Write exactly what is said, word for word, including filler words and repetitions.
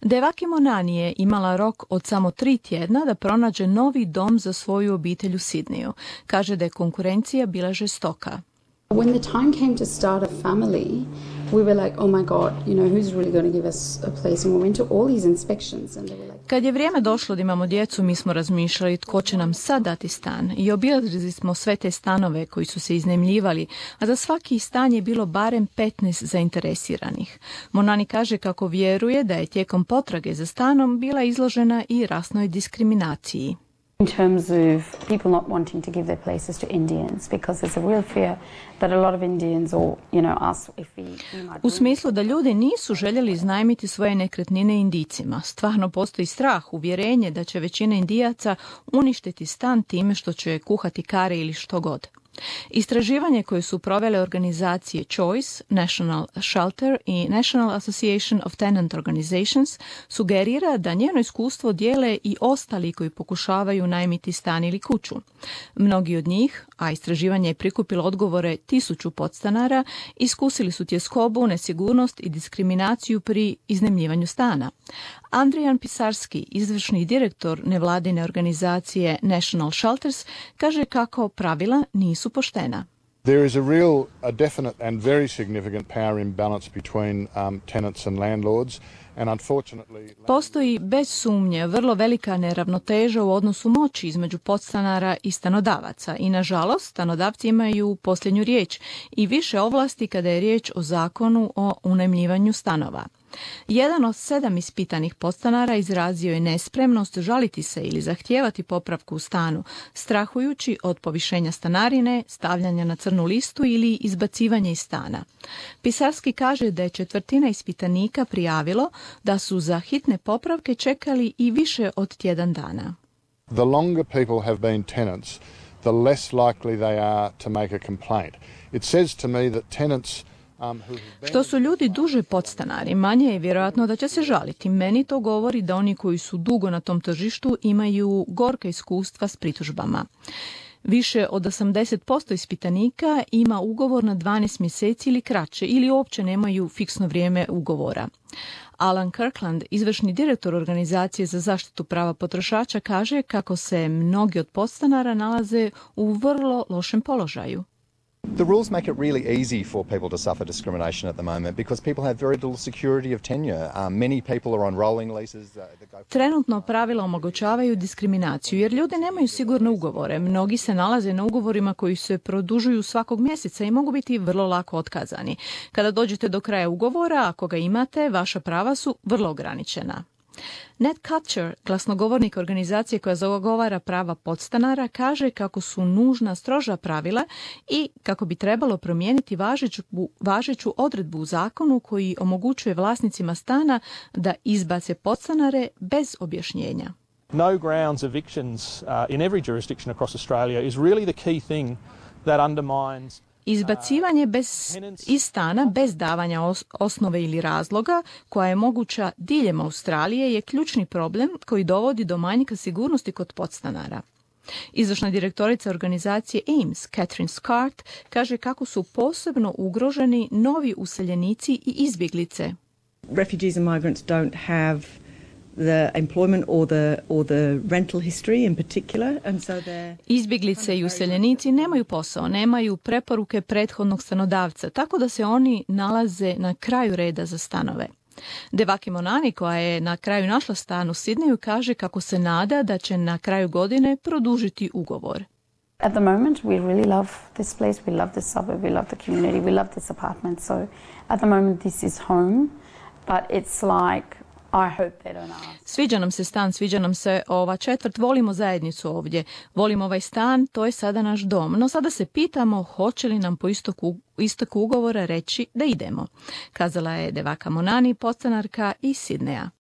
Devaki Monani je imala rok od samo tri tjedna da pronađe novi dom za svoju obitelj u Sidneju. Kaže da je konkurencija bila žestoka. When the time came to start a family, we were like, oh my God, you know, who's really going to give us a place? And we went to all these inspections and they were like... Kad je vrijeme došlo da imamo djecu, mi smo razmišljali tko će nam sad dati stan. I obilazili smo sve te stanove koji su se iznajmljivali, a za svaki stan je bilo barem petnaest zainteresiranih. Monani kaže kako vjeruje da je tijekom potrage za stanom bila izložena i rasnoj diskriminaciji. In terms of people not wanting to give their places to Indians, because there's a real fear that a lot of Indians or, you know, us, if we... U smislu da ljudi nisu željeli iznajmiti svoje nekretnine Indijcima. Stvarno postoji strah, uvjerenje da će većina Indijaca uništiti stan time što će kuhati kare ili što god. Istraživanje koje su provele organizacije Choice, National Shelter i National Association of Tenant Organizations sugerira da njeno iskustvo dijele i ostali koji pokušavaju najmiti stan ili kuću. Mnogi od njih, a istraživanje je prikupilo odgovore tisuću podstanara, iskusili su tjeskobu, nesigurnost i diskriminaciju pri iznajmljivanju stana. Andrijan Pisarski, izvršni direktor nevladine organizacije National Shelters, kaže kako pravila nisu poštena. There is a real, a definite and very significant power imbalance between um, tenants and landlords. And unfortunately... Postoji bez sumnje vrlo velika neravnoteža u odnosu moći između podstanara i stanodavaca i nažalost stanodavci imaju posljednju riječ i više ovlasti kada je riječ o zakonu o unajmljivanju stanova. Jedan od sedam ispitanih podstanara izrazio je nespremnost žaliti se ili zahtijevati popravku u stanu, strahujući od povišenja stanarine, stavljanja na crnu listu ili izbacivanja iz stana. Pisarski kaže da je četvrtina ispitanika prijavilo da su za hitne popravke čekali i više od tjedan dana. The longer people have been tenants, the less likely they are to make a complaint. It says to me that tenants Što su ljudi duže podstanari, manje je vjerojatno da će se žaliti. Meni to govori da oni koji su dugo na tom tržištu imaju gorka iskustva s pritužbama. Više od osamdeset posto ispitanika ima ugovor na dvanaest mjeseci ili kraće ili uopće nemaju fiksno vrijeme ugovora. Alan Kirkland, izvršni direktor organizacije za zaštitu prava potrošača, kaže kako se mnogi od podstanara nalaze u vrlo lošem položaju. The rules make it really easy for people to suffer discrimination at the moment because people have very little security of tenure. Um, many people are on rolling leases. Uh, that go... Trenutno pravila omogućavaju diskriminaciju jer ljudi nemaju sigurne ugovore. Mnogi se nalaze na ugovorima koji se produžuju svakog mjeseca i mogu biti vrlo lako otkazani. Kada dođete do kraja ugovora, ako ga imate, vaša prava su vrlo ograničena. Ned Kutcher, glasnogovornik organizacije koja zagovara prava podstanara, kaže kako su nužna stroža pravila i kako bi trebalo promijeniti važeću, važeću odredbu u zakonu koji omogućuje vlasnicima stana da izbace podstanare bez objašnjenja. No grounds evictions uh, in every jurisdiction across Australia is really the key thing that undermines Izbacivanje bez, iz stana bez davanja os, osnove ili razloga, koja je moguća diljem Australije, je ključni problem koji dovodi do manjka sigurnosti kod podstanara. Izvršna direktorica organizacije A I M S, Catherine Scott, kaže kako su posebno ugroženi novi useljenici i izbjeglice. Refugees and migrants don't have the employment or the or the rental history in particular, and so they're... Izbjeglice i useljenici nemaju posao, nemaju preporuke prethodnog stanodavca, tako da se oni nalaze na kraju reda za stanove. Devaki Monani, koja je na kraju našla stan u Sidneju, kaže kako se nada da će na kraju godine produžiti ugovor. At the moment we really love this place, we love this suburb, we love the community, we love this apartment, so at the moment this is home, but it's like I hope they don't ask. Sviđa nam se stan, sviđa nam se ova četvrt, volimo zajednicu ovdje, volimo ovaj stan, to je sada naš dom. No sada se pitamo hoće li nam po istoku, istoku ugovora reći da idemo, kazala je Devaka Monani, podstanarka iz Sidneja.